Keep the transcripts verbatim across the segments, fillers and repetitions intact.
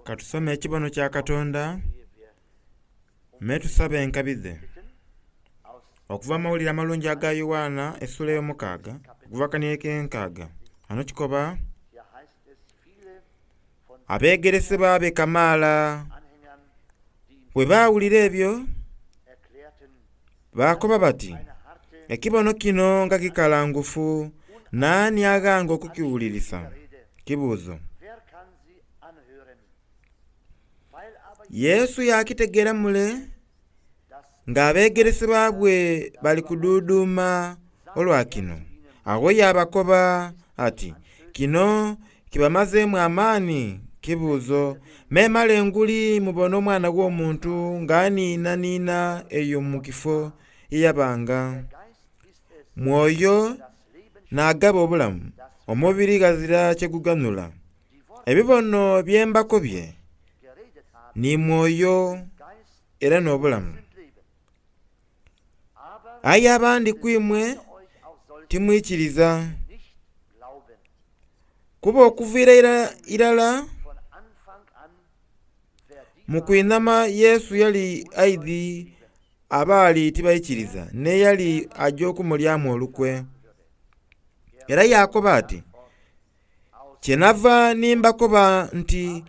Katusome ekibono kya Katonda me tusabe enkabi dhe. Okuva mu mawulire amalungi aga Yoanna essula ey'omukaaga okuva kaniye k'enkaaga. Ghano kikoba abegeresebwa be kamaala bwe baawulira ebyo baakoba bati, ekibono kino nga kikalangufu naani aghanga okukiwulirisa? Kibuuzo. Yesu yakitegeera mule nga abegeresebwa bwe bali kuduuduuma olwa kino. Agho yabakoba ati, kino kibamazeemu amaani? Kibuuzo. Memale nguli mubona Omwana w'Omuntu ng'aniinaniina eyo mu kifo ye yabanga. Mwoyo n'agaba obulamu, omubiri ghazira kye guganhula. Ebibono bye mbakobye ni mwoyo era n'obulamu. Aye abandi ku imwe timwikiriza. Kuba okuviira irala mu kwinhama Yesu yali aidhi abaali tibaikiriza n'eyali aja okumulyamu olukwe. Era yakoba ati, kyenava ni mbakoba nti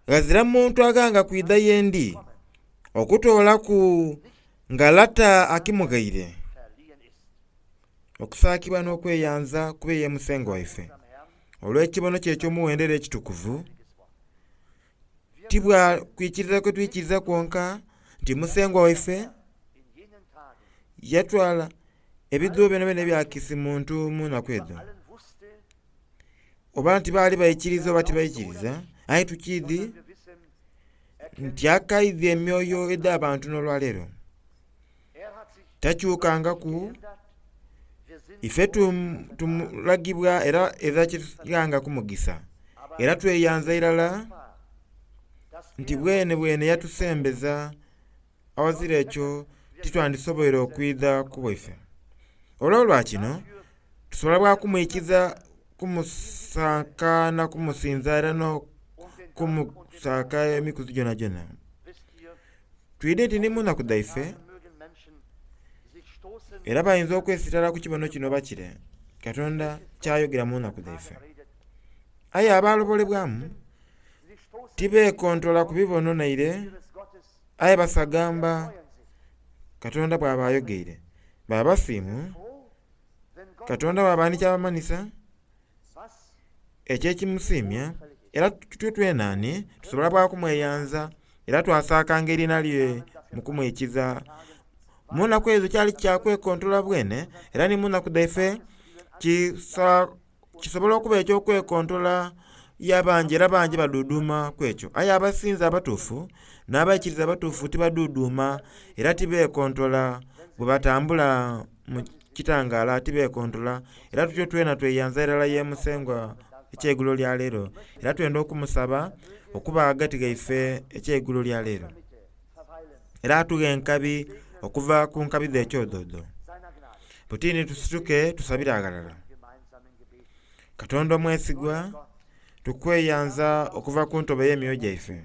ghazira muntu aghanga kwidha ye ndi okutoolaku nga Lata akimughaire. Okusaakibwa n'okweyanza kube ye Musengwa waife olw'ekibono kye eky'omuwendo era ekitukuvu, ti bwa kwikiriza kwe twikiriza kwonka nti Musengwa waife yatwala ebidhuubo byonabyona ebya kisi muntu mu nnaku edho. Oba nti baali baikiriza oba tibaikiriza, aye tukiidhi nti akaidhi emyoyo edh'abantu n'olwaleero. Takyukangaku, ife tumulagibwa era era kyetughanga kumugisa. Era tweyanza irala nti bwene bwene yatusembeza awazira ekyo titwandisoboire okwidha ku bwaife. Olwo lwa kino tusobola bwa kumwikiza kumusaaka na kumusinza era n'okumusaaka emikuzi gyonagyona. Twidhe nti ni mu nnaku dhaife era bayinza okwesitala ku kibono kino bakire Katonda kyayogera mu nnaku dhaife. Aye abalobolebwamu tibeekontola ku bibono naire, aye basagamba Katonda bw'aba ayogeire. Baba basiimu, Katonda bw'aba ni kyabamanhisa ekyo ekimusiimya, era tutyo twenaani tusobola bwa kumweyanza era twasaakanga eriina lye mu kumwikiza. Mu nnaku ezo kyali kya kwekontola bwene, era ni mu nnaku dhaife kisa kisobola okuba eky'okwekontola y'abangi era bangi baduuduuma ku ekyo. Aye abasinza abatuufu n'abaikiriza abatuufu tibaduuduuma era tibeekontola bwe batambula mu kitangaala tibeekontola. Era tutyo twena tweyanza irala ye Musengwa ekyeigulo lya leero. Era twenda okumusaba okuba ghagati ghaife ekyeigulo lya leero. Era atughe enkabi okuva ku nkabi dhe ekyodoodo. Butini tusituke tusabire aghalala. Katonda omwesigwa, tukweyanza okuva ku ntobo ey'emyoyo gyaife.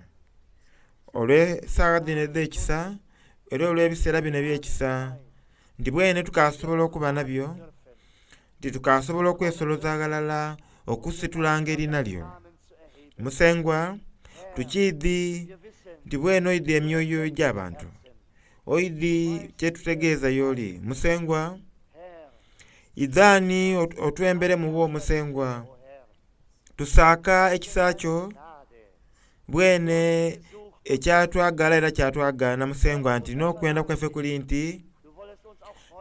Olw'esaawa dhino edh'ekisa era olw'ebiseera bino eby'ekisa, nti bwene tukasobola okuba nabyo, nti tukasobola okwesoloza aghalala okusitulanga eriina lyo. Musengwa, tukiidhi nti bwene oidhi emyoyo egy'abantu, oidhi kyetutegeeza y'oli. Musengwa, idhaani otwemberemu wo Musengwa, tusaaka ekisa kyo bwene ekyatwagala era kyatwagaana Musengwa nti n'okwenda kwaife kuli nti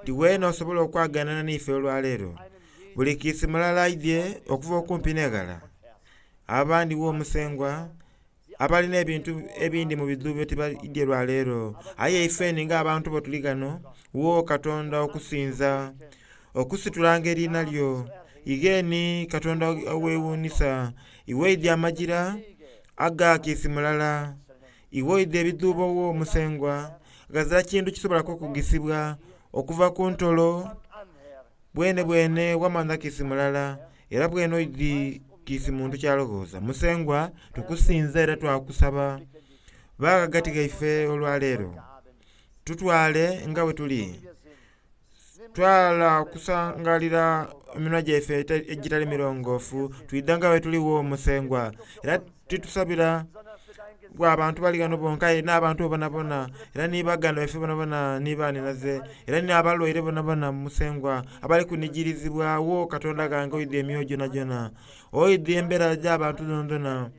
nti weena osobola okwaganana n'ife olwaleero. Buli kiisi mulala aidhye okuva okumpi n'eghala. Abandi wo Musengwa abalina ebintu ebindi mu bidhuubo tibaidye lwaleero. Aye ifeni ng'abantu bo tuli ghano, wo Katonda okusinza, okusitulanga eriina lyo. Igheeni Katonda oweewuunhisa, iwe oidhi amajira aga kiisi mulala, iwe oidhi ebidhuubo wo Musengwa, ghazira kintu kisobola kukugisibwa okuva ku ntolo bwene bwene wamanha kiisi mulala, era bwene oidhi Kiisi muntu kyalowooza. Musengwa tukusinza era twakusaba ba ghagati ghaife olwaleero, tutwale nga bwe tuli, twala okusangalira eminwa gyaife egitali mirongoofu, twidha nga bwe tuliwo Musengwa. Era titusabira bwa bantu bali ghano bonka aye n'abantu bonabona, era ni baganda baife bonabona ni banhinaze, era n'abalwaire bonabona Musengwa abali kunigirizibwa wo Katonda ghange oidhi emyoyo gyonagyona, oidhi embeera gy'abantu dhonadhona.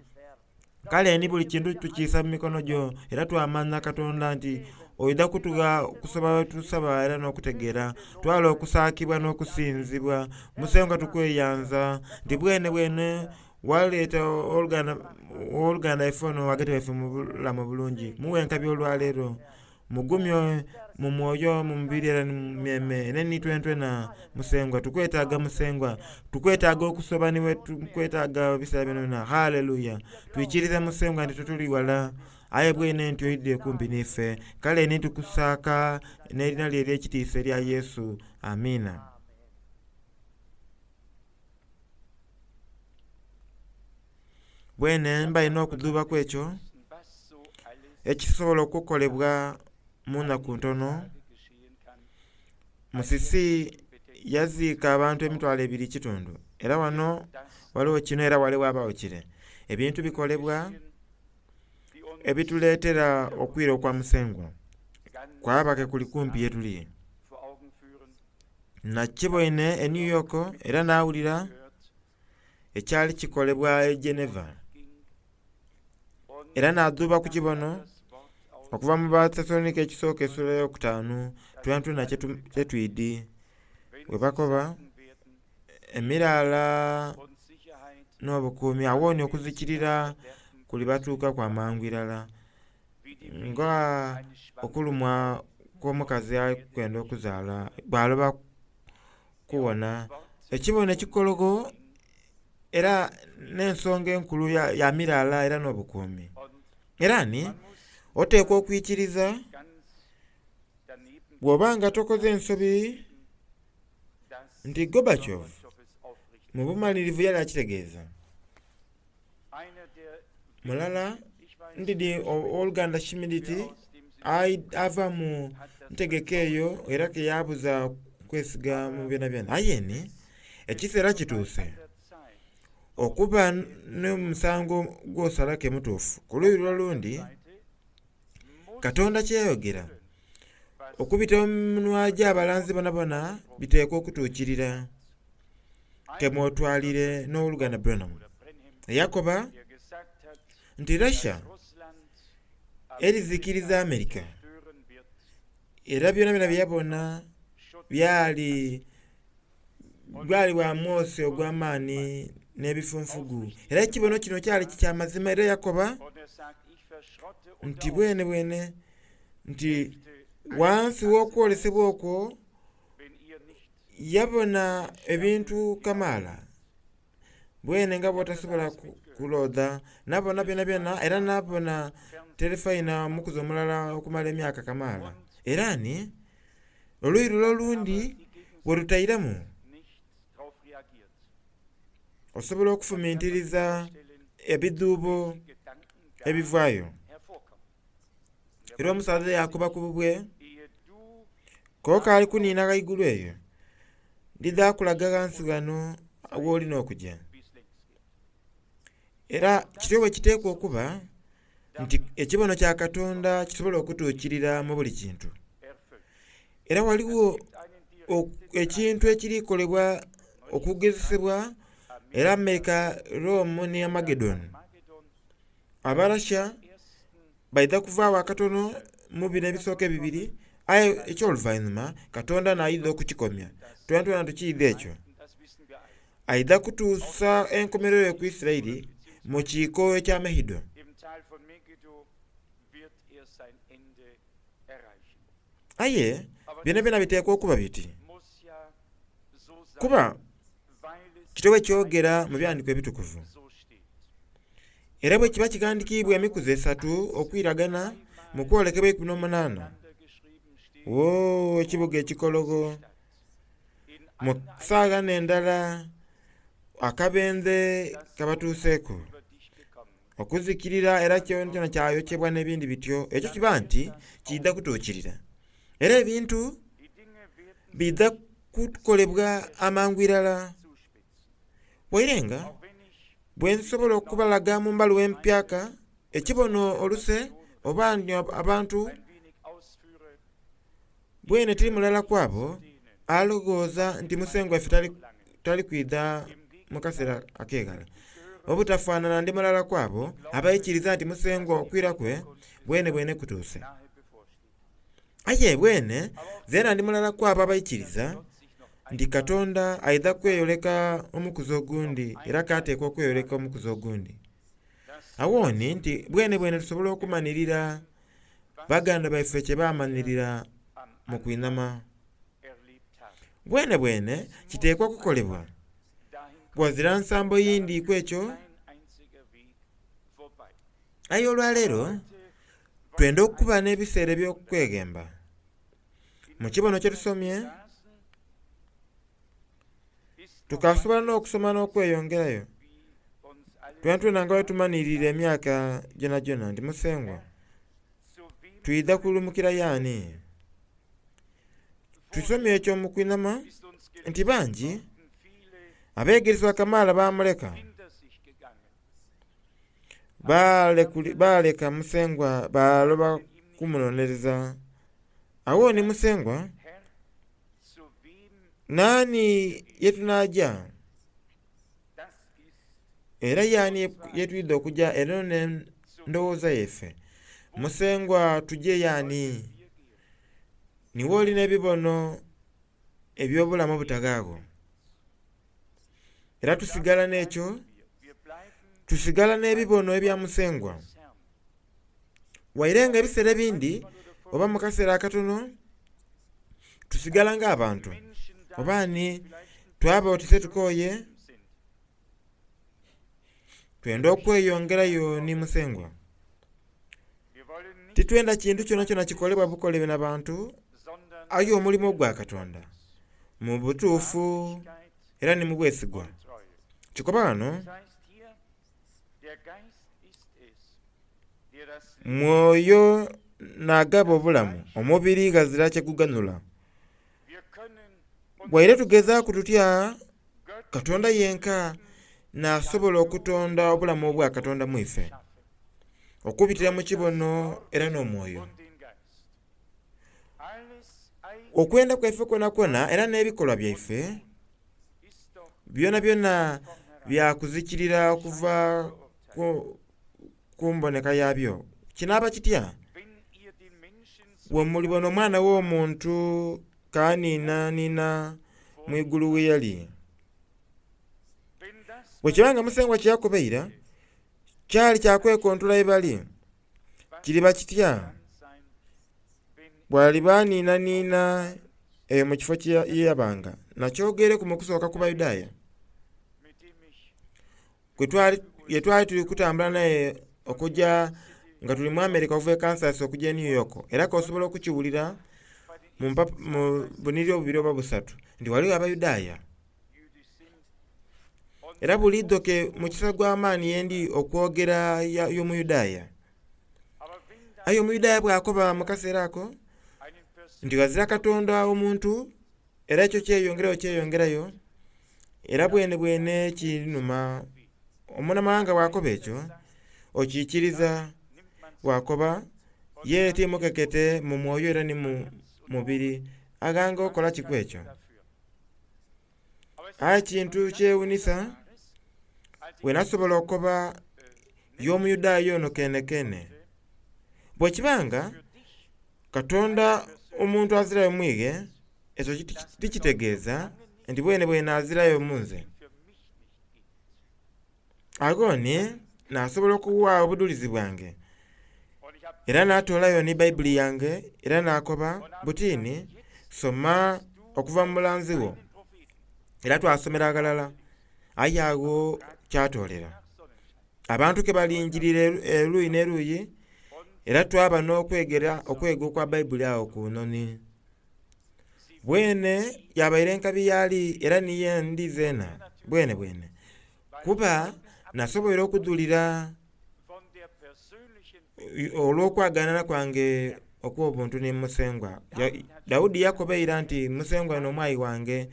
Kale ni buli kintu tukiisa mu mikono gyo, era twamanya Katonda nti oidha kutugha okusaba tusaba era n'okutegeera. Twala okusaakibwa n'okusinzibwa. Musengwa tukweyanza nti bwene bwene waleeta oluganda oluganda ife ono ghagati waife mu bulamu bulungi. Muwe enkabi olwaleero, mugumye mu mwoyo, mu mubiri era ni mu myeme, era ni twentwena Musengwa. Tukwetaaga Musengwa, tukwetaaga okusoba niwe tukwetaaga ebiseera byonabyona. Haleluya! Twikiriza Musengwa nti tituli wala, aye bwene nti oidhie kumpi n'ife. Kale ni tukusaaka n'erina lye ery'ekitiisa erya Yesu. Amiina. Bwene mba ina okudhuubaku ekyo ekisobola okukolebwa mu nnaku ntono. Musisi yaziika abantu emitwalo ebiri kitundu, era wano waliwo kino era wale ghabagho kire. Ebintu bikolebwa ebituleetera okwira okwa Musengwa kwaba ke kuli kumpi ye tuli. Nakiboine e New York era nawulira ekyali kikolebwa e Geneva, era nadhuuba ku kibono okuva mu Batessalonike ekisooka essula eyokutaanu twentwena kyetwidi bwe bakoba emiraala n'obukuumi awo ni okuzikirira kulibatuukaku amangu irala nga okulumwa kw'omukazi alikwenda okuzaala bw'aloba kuwona. Ekibono ekikologo era n'ensonga enkulu ya, ya miraala era n'obukuumi. Era ni oteekwa okwikiriza bw'oba nga tokoze ensobi nti Gorbachev mu bumalirivu yali akitegeeza. Mulala ndidi owoluganda Schmidt ava mu ntegeka eyo era ke yabuza kwesiga mu byonabyona. Aye ni ekiseera kituuse okuba n'omusango gw'osalake mutuufu. Ku luuyi lw'olundi Katonda kyeyayogera okubita mu minwa gy'abalanzi bonabona biteekwa okutuukirira. Kemwotwalire n'owoluganda Branham eyakoba nti Russia erizikiriza America, era byonabyona bye yabona byali gwali bwa mwosi ogw'amaani n'ebifunfugu. Era ekibono kino kyali kya mazima era yakoba nti bwene bwene nti wansi w'okwolesebwa okwo yabona ebintu kamaala bwene nga bw'otasobola kulodha. Nabona byonabyona era nabona terefayina omukuzi omulala okumala emyaka kamaala. Era ni oluuyi lule olundi bwe lutairemu osobola okufumintiriza ebidhuubo ebivaayo. Era omusaadha yakoba ku bubwe, kooka ali kuniina ghaigulu eyo, ndidha kulaga ghansi ghano w'olina okugya. Era kityo bwe kiteekwa okuba nti ekibono kya Katonda kisobola okutuukirira mu buli kintu. Era waliwo ekintu ekirikolebwa okugezesebwa era America, Rome ni Amagedoni. Abarasha baidha kuvaagho akatono mu bino ebisooka ebibiri, aye eky'oluvainhuma Katonda n'aidha okukikomya. Twentwena tukiidhi ekyo. Aidha kutuusa enkomerero ku Isiraeli mu kiiko ekya Megiddo. Aye byonabyona biteekwa okuba biti, kuba kityo bwe kyogera mu byandiiko ebitukuvu. Era bwe kiba kighandikiibwa emikuzi esatu okwiragana mu kwolekebwa eikumi n'omunaana, wo ekibuga ekikologo mu saagha n'endala Akabenze kabatuuseeku okuzikirira era kyonakyona kyayokyebwa n'ebindi bityo. Ekyo kiba nti kiidha kutuukirira. Era ebintu biidha kukolebwa amangu irala. Waire nga bwe nsobola okubalaga mu mbaluwa empyaka ekibono oluse oba abantu bwene tiri mulala kwabo alowooza nti musengwa waffe tali, tali kwidha mu kaseera ak'eghala. Obutafaanana ndi mulala kwabo abaikiriza nti musengwa okwira kwe bwene bwene kutuuse. Aye bwene zeena ndi mulala kwabo abaikiriza nti Katonda aidha kweyoleka omukuzi ogundi era kateekwa okweyoleka omukuzi ogundi. Awooni nti bwene bwene tusobola okumanirira baganda baife kye bamanirira mu kwinhama. Bwene bwene kiteekwa okukolebwa. Wazira nsambo yindi ku ekyo. Aye olwaleero twenda okuba n'ebiseera eby'okweghemba. Mu kibono kye tusomye tukasobola n'okusoma n'okweyongerayo. Twena twena nga bwe tumanhirire emyaka gyonagyona nti Musengwa twidha kulumukira y'ani? Tusomye ekyo mu kwinhama nti bangi abeegeresebwa kamaala baamuleka. Baaleka Musengwa baaloba kumunonereza. Awo ni Musengwa naani ye tunaaja? Era y'ani ye twidha okuja era n'endowooza yaife. Musengwa tuje y'ani? Niwe olina ebibono eby'obulamu obutaghaagho. Era tusigala n'ekyo, tusigala n'ebibono ebya Musengwa. Waire nga ebiseera ebindi oba mu kaseera akatono tusigala ng'abantu. Oba ni twaba otise tukooye twenda okweyongerayo ni Musengwa. Titwenda kintu kyonakyona kikolebwa bukolebwe na bantu aye omulimo gwa Katonda mu butuufu era ni mu bwesigwa. Kikoba ghano mwoyo n'agaba obulamu, omubiri ghazira kye guganhula. Waire tugezaaku tutya, Katonda yenka n'asobola okutonda obulamu obwa Katonda mu ife okubitira mu kibono era n'omwoyo. Okwenda kwaife kwonakwona era n'ebikolwa byaife byonabyona byakuzikirira okuva ku, ku mboneka yabyo. Kinaaba kitya? Bwe mulibona Omwana w'Omuntu kaniinaniina mu igulu we yali. Bwe kiba nga Musengwa kye yakoba eira kyali kya kwekontola ye bali, kiriba kitya bw'aliba aniinaniina eyo mu kifo kye yabanga? Nakyogereku mu kusooka ku Bayudaaya ye twali tuli kutambula naye okuja nga tuli mu America okuva e Kansas okuja e New York. Era k'osobola okukiwulira mu bunhiriri obubiri oba busatu nti ghaligho Abayudaaya. Era buliidho ke mukisa gw'amaani yendi okwogera y'Omuyudaaya. Aye Omuyudaaya bw'akoba mu kaseera ako nti ghazira Katonda omuntu, era ekyo kyeyongerayo kyeyongerayo, era bwene bwene kinuma. Omunamawanga bw'akoba ekyo, okiikiriza bw'akoba ye timukekete mu mwoyo era ni mu mubiri aghanga okola kiku ekyo. Aye kintu kyewunisa bwe nasobola okukoba y'Omuyudaaya ono kenekene. Bwe kiba nga Katonda omuntu azirayo mwighe, ekyo tikitegeeza nti bwene bwene azirayo mu nze. Agho ni nasobola okuwa obudulizi bwange. Era natoolayo ni Bayibuli yange era nakoba butini soma okuva mu mulanzi wo. Era twasomera ghalala aye agho kyatoolera. Abantu ke balingirira eruuyi n'eruuyi era twaba n'okwegera okwega okwa Bayibuli awo ku noni. Bwene yabaire enkabi yali era niye ndi zeena bwene bwene. Kuba nasoboire okudhulira olw'okwaganana kwange okw'obuntu ni Musengwa. Daudi yakoba eira nti Musengwa n'omwayi wange,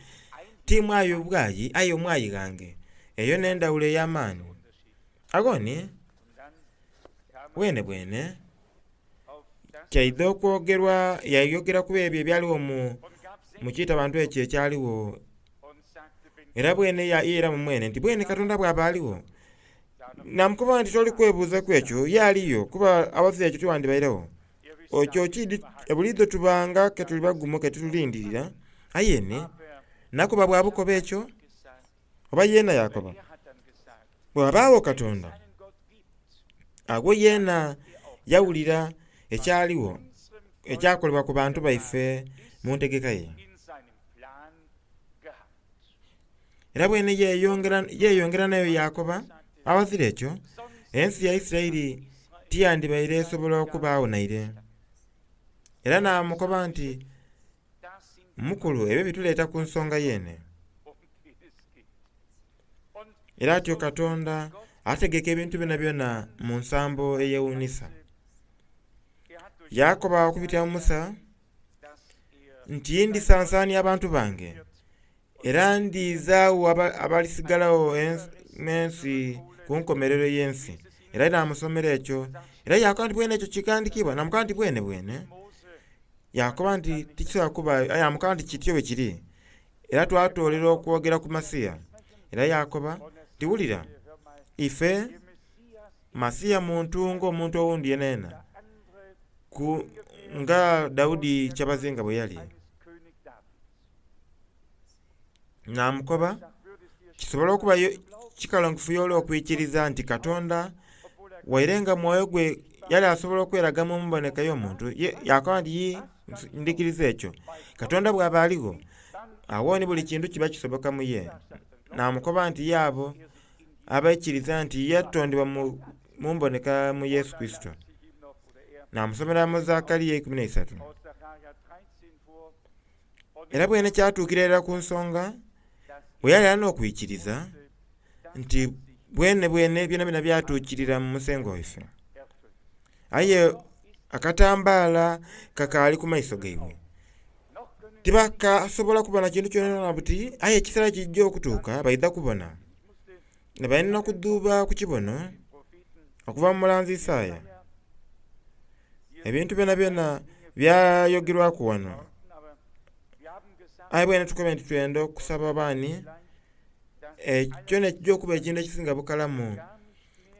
ti mwayi bwayi aye omwayi ghange. Eyo n'endhawulo ey'amaani. Aghoni bwene bwene kyaidha okwogerwa yayogera ku ebyo ebyaligho mu mu kiita-bantu ekyo ekyaligho. Era bwene yeiramu mwene nti bwene Katonda bw'aba aligho, namukoba nti toli kwebuuzaku ekyo ye aliyo kuba awazira ekyo tiwandibairegho. Ekyo kidi buliidho tubanga ke tuli bagumu ke tulindirira, aye ni nakoba bwa bukoba ekyo oba yeena yakoba bw'abaagho Katonda, agho yeena yawulira ekyaligho ekyakolebwa ku bantu baife mu ntegeka ye. Era bwene yeyongera yeyongera nayo yakoba awazira ekyo ensi ya Isiraeli tiyandibaire esobola okubaagho naire. Era namukoba nti mukulu ebyo bituleeta ku nsonga yeene. Era atyo Katonda ategeka ebintu byonabyona mu nsambo eyewuunhisa. Yakoba okubitira mu Musa nti ndisansaania abantu bange era ndiizaagho abalisigalagho n'ensi ku nkomerero y'ensi. Era namusomera ekyo era yakoba nti bwene ekyo kighandhikiibwa, namukoba nti bwene bwene. Yakoba nti tikisobola kuba aye namukoba nti kityo bwe kiri. Era twatoolera okwogera ku Masiya. Era yakoba nti wulira ife Masiya muntu ng'omuntu owundi yenayena ku nga Daudi kyabazinga bwe yali. Namukoba kisobola okuba kikalongofu y'oli okwikiriza nti Katonda waire nga mwoyo gwe yali asobola okweraga mu mboneka y'omuntu, yakoba nti yi ndhikiriza ekyo. Katonda bw'aba aligho, agho ni buli kintu kiba kisoboka mu ye. Namukoba nti ye abo abaikiriza nti yatondebwa mu mboneka mu Yesu Kurisito. Namusomera mu Zakariya eikumi n'eisatu. Era bwene kyatuukira irala ku nsonga bwe yali alina okwikiriza nti bwene bwene byonabyona byatuukirira mu Musengwa waife. Aye akatambaala kakaali ku maiso gaibwe. Tibakasobola kubona kintu kyonakyona buti, aye ekiseera kijja okutuuka baidha kubona. Nga balina okudhuuba ku kibono okuva mu mulanzi Isaaya. Ebintu byonabyona byayogerwaku wano. Aye bwene tukobe nti twenda okusaba baani, ekyo n'ekijja okuba ekintu ekisinga bukalamu.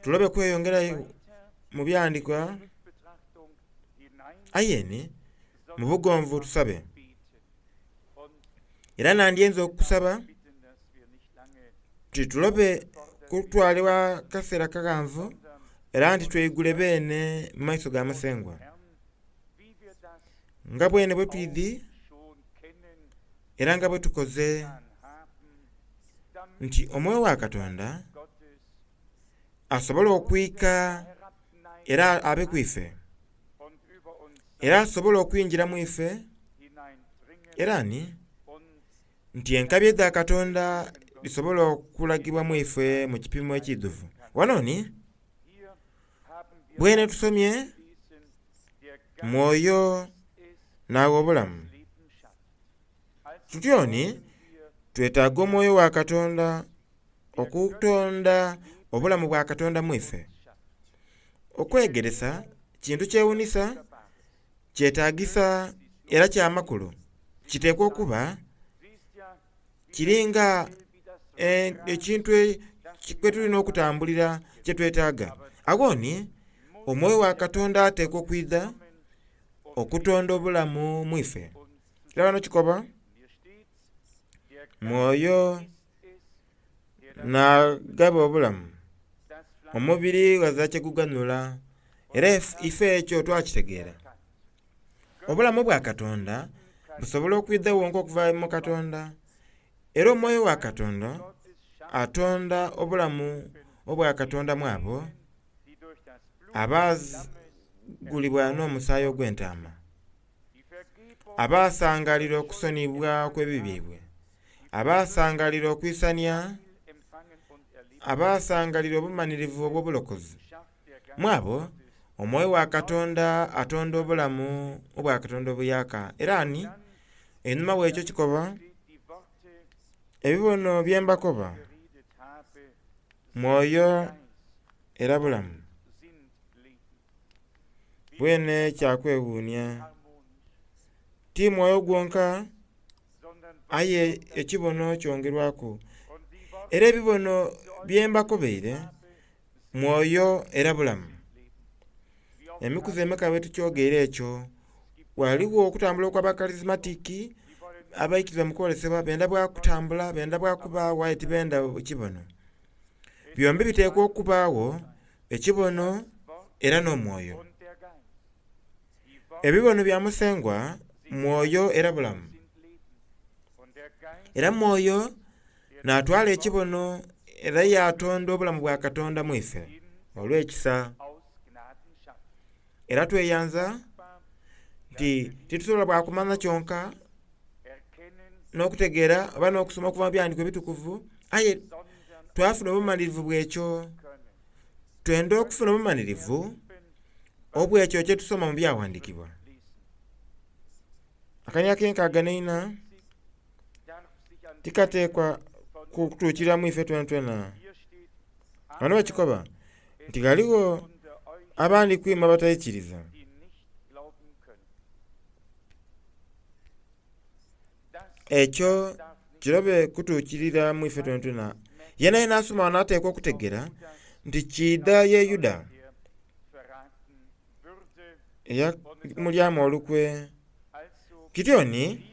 Tulobe kweyongerayo mu byandikwa, aye ni mu bugonvu tusabe. Era nandyenze okusaba titulobe kutwalibwa kaseera kaghanvu era nti tweigule beene mu maiso ga Musengwa. Nga bwene bwe twidhi era nga bwe tukoze nti omwoyo wa Katonda asobola okwika era abe ku ife, era asobola okwingira mu ife, era ni nti enkabi edha Katonda dhisobola okulagibwa mu ife mu kipimo ekidhuvu. Wano ni bwene tusomye mwoyo n'agha obulamu. Tutyo ni twetaaga omwoyo wa Katonda okutonda obulamu bwa Katonda mu ife. Okwegeresa kintu kyewuunhisa, kyetaagisa era kyamakulu. Kiteekwa okuba kiringa ekintu kwe tulina okutambulira kye twetaaga. Agho ni omwoyo wa Katonda ateekwa okwidha okutonda obulamu mu ife. Era wano kikoba mwoyo n'agaba obulamu, omubiri ghazira kye guganhula. Era ife ekyo twakitegeera. Obulamu bwa Katonda busobola okwidha wonka okuva mu Katonda. Era omwoyo wa Katonda atonda obulamu obwa Katonda mu abo abagulibwa n'omusaayi ogw'entaama, abasangalira okusoniyibwa okw'ebibi byaibwe, abasangalira okwisania Abasangalira obumanirivu obw'obulokozi. Mwabo omwoyo wa Katonda atonda obulamu obwa Katonda obuyaka. Era ani einhuma w'ekyo kikoba ebibono bye mbakoba mwoyo era bulamu. Bwene kyakwewuunia ti mwoyo gwonka aye ekibono kyongerwaku. Era ebibono bye mbakobeire mwoyo era bulamu. Emikuzi emeka bwe tukyogeire ekyo, ghaligho okutambula okw'abakarismatiki abaikiriza mu kwolesebwa benda bwa kutambula, benda bwa kubaawo aye tibenda kibono. Byombi biteekwa okubaagho, ekibono era n'omwoyo. Ebibono bya Musengwa mwoyo era bulamu. Era mwoyo n'atwala ekibono era yatonda obulamu bwa Katonda mu ife olw'ekisa. Era tweyanza nti titusobola bwa kumanya kyonka n'okutegeera oba n'okusoma okuva mu byandiiko ebitukuvu, aye twafuna obumalirivu bw'ekyo. Twenda okufuna obumalirivu obw'ekyo kye tusoma mu byawandiikibwa. Akanya ak'enkaaga n'eina tikateekwa kutuukiriramu ife twenatwena. Wano bakikoba nti ghaligho abandi kwima abataikiriza. Ekyo kirobe kutuukirira mu ife twenatwena. Yena yena asoma wano ateekwa okutegeera nti kiidha ye Yuda eyamulyamu olukwe. Kityoni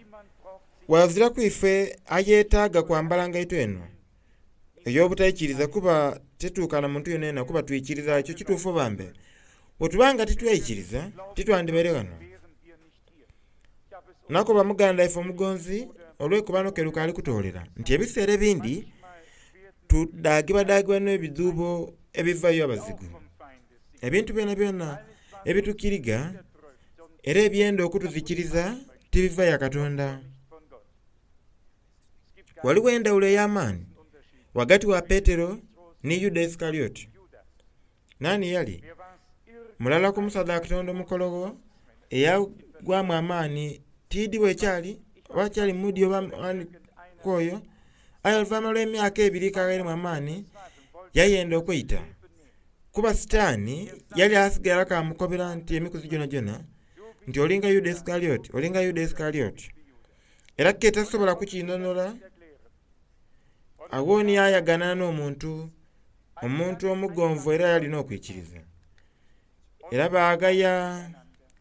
waziraku ife ayeetaaga kwambala ngaito eno ey'obutaikiriza kuba tetuukana muntu yenayena kuba twikiriza ekyo kituufu bambe. Bwe tuba nga titweikiriza titwandibaire ghano. Nakoba muganda ife omugonzi olw'ekubano ke lukaali kutoolera nti ebiseera ebindi tudagibwadagibwa n'ebidhuubo ebivayo abazigu. Ebintu byonabyona ebitukiriga era ebyenda okutuzikiriza tibiva ya Katonda. Waliwo endawulo ey'amaani ghagati wa Petero ni Yuda Isikarioti. Nani yali? Mulala ku musaadha wa Katonda omukologho eyagwamu amaani tiidi bwekyali oba kyali mudi oba ani kwoyo, aye oluvannyuma lw'emyaka ebiri kaghairemu amaani yayenda okweita. Kuba Sitaani yali asigala kamukobera nti emikuzi gyonagyona nti olinga Yuda Isikarioti, olinga Yuda Isikarioti. Era ke tasobola kukinhonhola, agho ni yayagana n'omuntu, omuntu omugonvu era yalina okwikiriza. Era baagaya,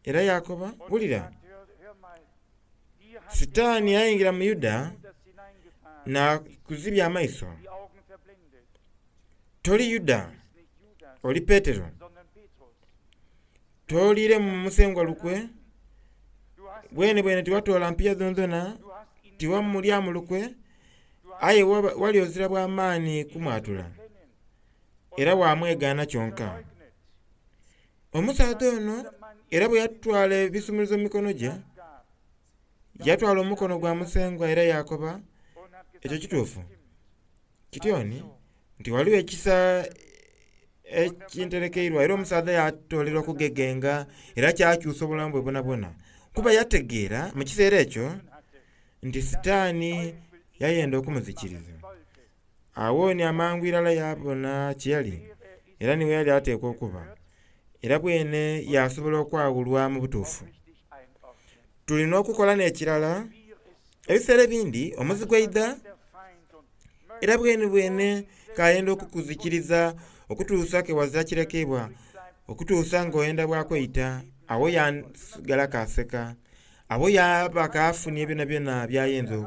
era yakoba, wulira, Sitaani yayingira mu Yuda nakuzibya amaiso. Toli Yuda, oli Petero. Tooliire mu musengwa lukwe, bwene bwene tiwatoola mpiiya dhonadhona, tiwamulyamu lukwe, aye wali ozira bw'amaani kumwatula, era wamwegaana kyonka. Omusaadha ono era bwe yatwala ebisumuluzo mu mikono gye, yatwala omukono gwa Musengwa era yakoba ekyo kituufu. Kityoni nti waliwo ekisa ekinterekeirwa era omusaadha yatoolera okugegenga era kyakyusa obulamu bwe bwonabwona. Kuba yategeera mu kiseera ekyo nti Sitaani yayenda okumuzikiriza. Awo ni amangu irala yabona kyeyali era niwe yali ateekwa okuba. Era bwene yasobola okwawulwa mu butuufu. Tulina okukola n'ekirala, ebiseera ebindi omuzigu aidha era bwene bwene kayenda okukuzikiriza okutuusa ke wazira kirekebwa, okutuusa ng'oyenda bwa kweita, awo yasigala kaseka, awo yaba kafunye byonabyona byayinza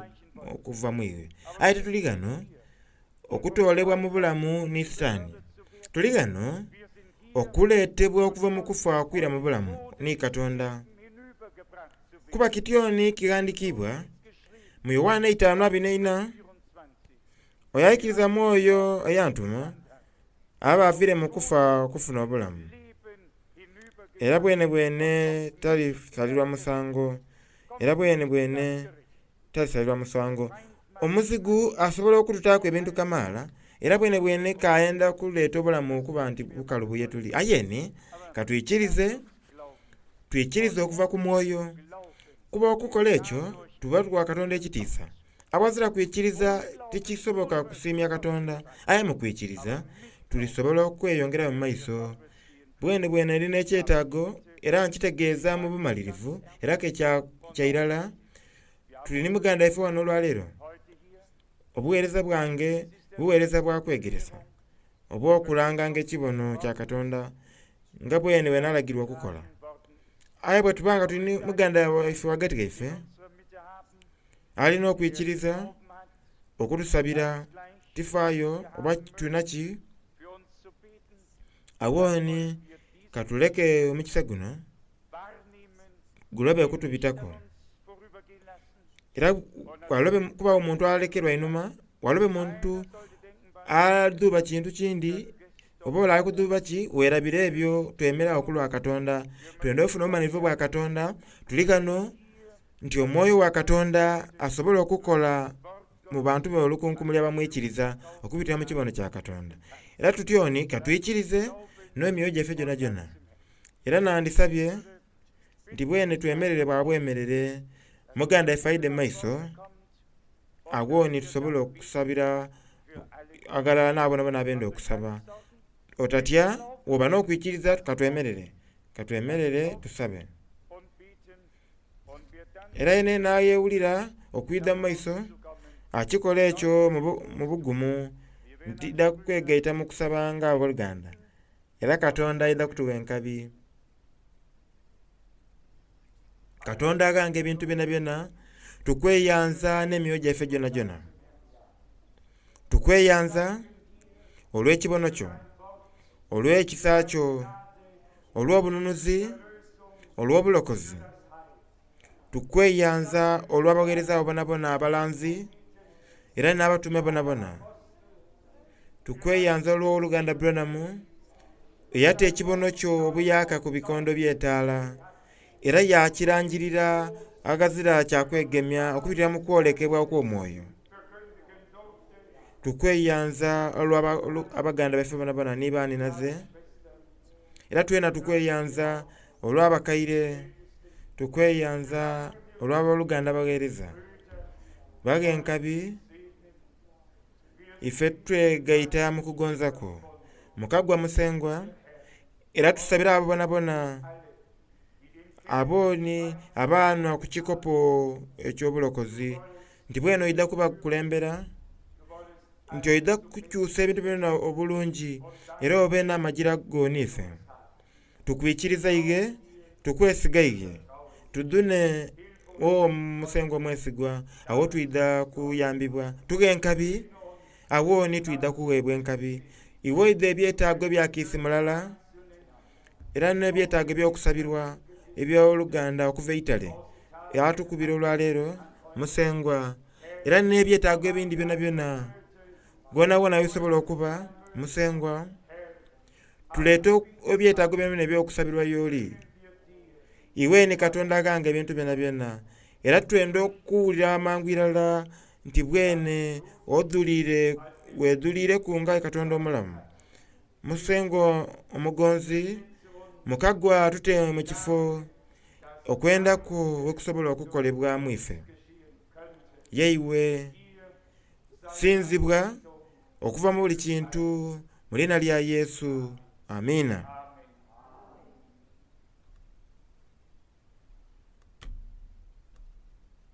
okuva mu iwe. Aye tituli ghano okutoolebwa mu bulamu ni Sitaani. Tuli ghano okuleetebwa okuva mu kufa okwira mu bulamu ni Katonda. Kuba kityoni kighandikiibwa mu Yoanna eitaanu abiri n'eina, oyo aikiriza mu oyo eyantuma aba aviire mu kufa okufuna obulamu. Era bwene bwene talisalirwa musango, era bwene bwene talisalirwa musango. Omuzigu asobola okututaaku ebintu kamaala Era bwene bwene kayenda kuleeta obulamu okuba nti bukalubu ye tuli. Aye ni katwikirize, twikirize okuva ku mwoyo. Kuba okukola ekyo tuba tuwa Katonda ekitiisa. Awazira kwikiriza tikisoboka kusiimya Katonda, aye mu kwikiriza tulisobola okweyongera mu maiso. Bwene bwene ndina ekyetaago era nkitegeeza mu bumalirivu era ke kya irala tuli ni muganda waife wano olwaleero. Obuweereza bwange buweereza bwa kwegeresa oba okulanganga ekibono kya Katonda nga bwene bwe nalagirwa okukola. Aye bwe tuba nga tuli ni muganda waife ghagati ghaife alina okwikiriza okutusabira tifaayo oba tulina ki, awooni katuleke omukisa guno gulobe kutubitaku. Era walobe kubawo omuntu alekerwa einhuma, walobe muntu adhuuba kintu kindi oba ole ali kudhuuba ki, weerabire ebyo twemeragho ku lwa Katonda. Twenda ofuna obumalirivu bwa Katonda, tuli ghano nti omwoyo wa Katonda asobola okukola mu bantu be olukunkumuli abamwikiriza okubitira mu kibono kya Katonda. Era tutyoni katwikirize n'emyoyo gyaife gyonagyona. Era nandisabye nti bwene twemerere bwa bwemerere muganda waife aidhe mu maiso, awooni tusobole okusabira aghalala n'abo bonabona abenda okusaba. Otatya bw'oba n'okwikiriza katwemerere, katwemerere tusabe. Era yena nayewulira okwidha mu maiso akikola ekyo mu bugumu ntidha kwegaita mu kusaba nga abooluganda. Era Katonda aidha kutuwa enkabi. Katonda aghanga ebintu byonabyona, tukweyanza n'emyoyo gyaife gyonagyona. Tukweyanza olw'ekibono kyo, olw'ekisa kyo, olw'obununuzi, olw'obulokozi. Tukweyanza olw'abaweereza abo bonabona abalanzi era n'abatume bonabona. Tukweyanza olw'oluganda Branham eyata ekibono kyo obuyaka ku bikondo by'etaala era yakirangirira aghazira kya kwegemya okubitira mu kwolekebwa okw'omwoyo. Tukweyanza olw'abaganda baife bonabona ni baninaze, era twena tukweyanza olw'abakaire, tukweyanza olw'aboluganda abagheereza. Baghe enkabi ife twegaita mu kugonza kwo. Mukagwa Musengwa era tusabira abo bonabona abooni abaanhwa ku kikopo eky'obulokozi nti bwene oidha kubakulembera, nti oidha kukyusa ebintu byona obulungi era obe n'amagira go n'ife. Tukwikiriza ighe, tukwesiga ighe, tudhune o Musengwa omwesigwa, agho twidha kuyambibwa. Tughe enkabi, agho ni twidha kuweebwa enkabi. Iwe oidha ebyetaago ebya kiisi mulala era n'ebyetaago eby'okusabirwa eby'oluganda okuva eitale atukubira olwaleero Musengwa, era n'ebyetaago ebindi byonabyona ghonawona ghebisobola okuba Musengwa, tuleete ebyetaago byonabyona eby'okusabirwa y'oli. Iwe ni Katonda aghanga ebintu byonabyona, era twenda okuwulira amangu irala nti bwene odhuliire wedhuliireku nga Katonda omulamu. Musengwa omugonzi, mukagwa tute mu kifo okwenda kwo wekusobola okukolebwamu ife. Yeiwe sinzibwa okuva mu buli kintu mu liina lya Yesu. Amiina.